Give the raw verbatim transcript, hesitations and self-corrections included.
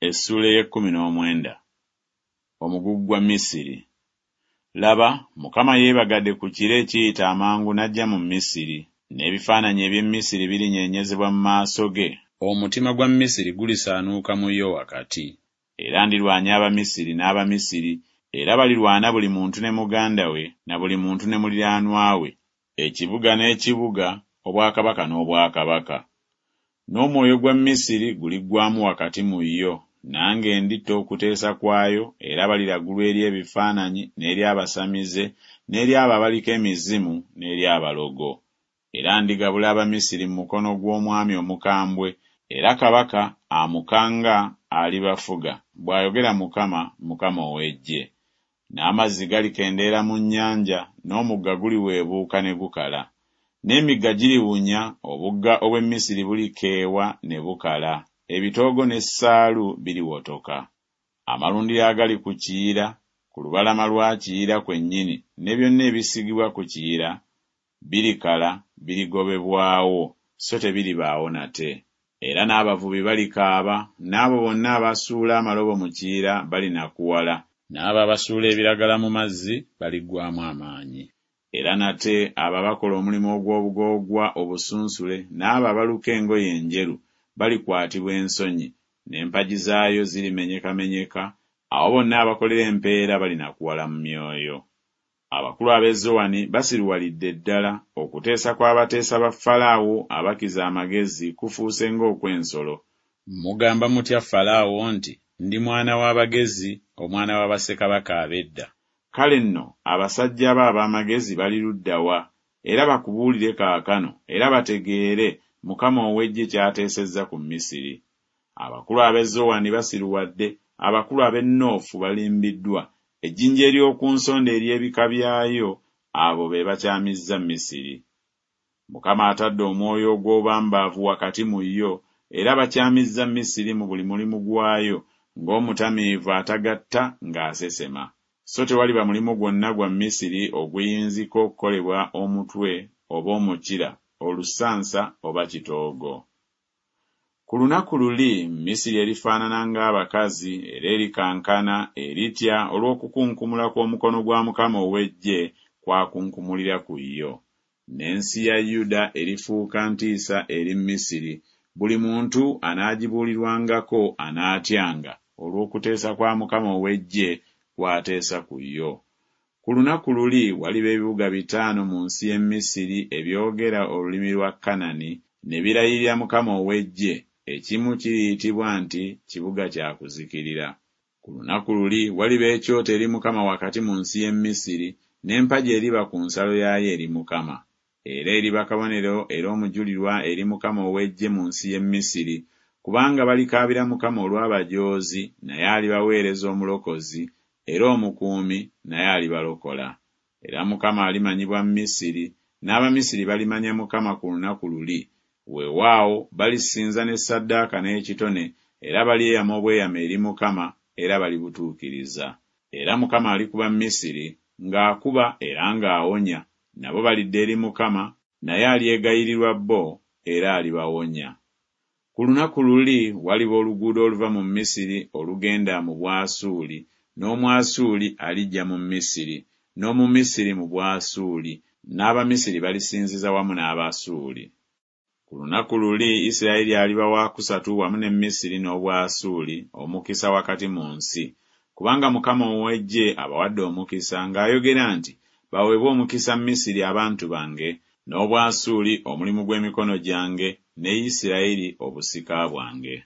Essuula ey'ekkumi n'omwenda. Omugugu gwa Misiri. Laba, Mukama yeebagadde ku kire ekiyita amangu n'ajja mu Misiri, n'ebifaananyi eby'e Misiri birinyeenyezebwa mu maaso ge, omutima gwa Misiri gulisaanuuka mu yo wakati. Era ndirwanya Abamisiri n'Abamisiri, era balirwana buli muntu ne muganda we, na buli muntu ne muliraanwa we, ekibuga n'ekibuga, obwakabaka n'obwakabaka. N'omwoyo gwa Misiri guliggwaamu wakati mu yo, nange nditta okuteesa kwayo, era baliragulwa eri ebifaananyi, n'eri abasamize, n'eri abo abaliko emizimu, n'eri abalogo. Era ndigabula Abamisiri mu mukono gw'omwami omukambwe, era kabaka amukanga alibafuga, bw'ayogera Mukama, Mukama ow'eggye. N'amazzi galikendeera mu nnyanja, n'omugga guliweebuuka ne gukala. N'emigga giriwunya, obugga obw'e Misiri bulikeewa ne bukala, ebitoogo n'essaalu biriwotoka. Amalundiro agali ku Kiyira, ku lubalama lwa Kiyira kwennyini, ne byonna ebisigibwa ku Kiyira, birikala, birigobebwawo, so tebiribaawo nate. Era n'abavubi balikaaba, n'abo bonna abasuula amalobo mu Kiyira balinakuwala, n'abo abasuula ebiragala mu mazzi baliggwaamu amaanyi. Era nate abo abakola omulimu ogw'obugoogwa obusunsule n'abo abaluka engoye enjeru balikwatibwa ensonyi, n'empagi zaayo zirimenyekamenyeka, abo bonna abakolera empeera balinakuwala mu myoyo. Abakulu ab'e Zowani basiruwalidde ddala, okuteesa kw'abateesa ba Falaawo abakiza amagezi kufuuse ng'okw'ensolo. Mugamba mutya Falaawo nti Ndi mwana w'abagezi, omwana wa bassekabaka ab'edda? Kale nno abasajja bo ab'amagezi bali ludda wa? Era bakubuulire kaakano, era bategeere Mukama ow'eggye ky'ateesezza ku Misiri. Abakulu ab'e Zowani basiruwadde, abakulu ab'e Noofu balimbiddwa, ejjinja ery'oku nsonda ery'ebika byayo, abo be bakyamizza Misiri. Mukama atadde omwoyo ogw'obubambaavu wakati mu yo, era bakyamizza Misiri mu buli mulimu gwayo, ng'omutamiivu atagatta ng'asesema. So tewaliba mulimu gwonna gwa Misiri oguyinzika okukolebwa omutwe oba omukira, olusansa oba kitoogo. Ku lunaku luli Misiri erifaanana ng'abakazi, era erikankana, eritya olw'okukunkumula kw'omukono gwa Mukama ow'eggye kw'akunkumulira ku yo. N'ensi ya Yuda erifuuka ntiisa eri Misiri, buli muntu anaagibuulirwangako anaatyanga olw'okuteesa kwa Mukama ow'eggye kw'ateesa ku yo. Ku lunaku luli waliba ebibuga bitaano mu nsi y'e Misiri ebyogera olulimi lwa Kanani, ne birayirira Mukama ow'eggye, ekimu kiriyitibwa nti Kibuga kya Kuzikirira. Ku lunaku luli waliba ekyoto eri Mukama wakati mu nsi y'e Misiri, n'empagi eriba ku nsalo yaayo eri Mukama. Era eriba kabonero era omujulirwa eri Mukama ow'eggye mu nsi y'e Misiri, kubanga balikaabira Mukama olw'abajoozi, naye alibaweereza omulokozi, era omukuumi, naye alibalokola. Era Mukama alimanyibwa Misiri, n'Abamisiri balimanya Mukama ku lunaku luli, weewaawo balisinza ne ssaddaaka n'ekitone, era balyeyama obweyamo eri Mukama, era balibutuukiriza. Era Mukama alikuba Misiri, ng'akuba era ng'awonya, nabo balidda eri Mukama, naye alyegayirirwa bo, era alibawonya. Ku lunaku luli waliba oluguudo oluva mu Misiri olugenda mu Bwasuuli, n'Omwasuuli alijja mu Misiri, n'Omumisiri mu Bwasuuli, n'Abamisiri balisinziza wamu n'Abasuuli. Ku lunaku luli Isirayiri aliba waakusatu wamu ne Misiri n'Obwasuuli, omukisa wakati mu nsi, kubanga Mukama ow'eggye abawadde omukisa ng'ayogera nti, Baweebwe omukisa Misiri abantu bange, n'Obwasuuli omulimu gw'emikono gyange, ne Isirayiri obusika bwange.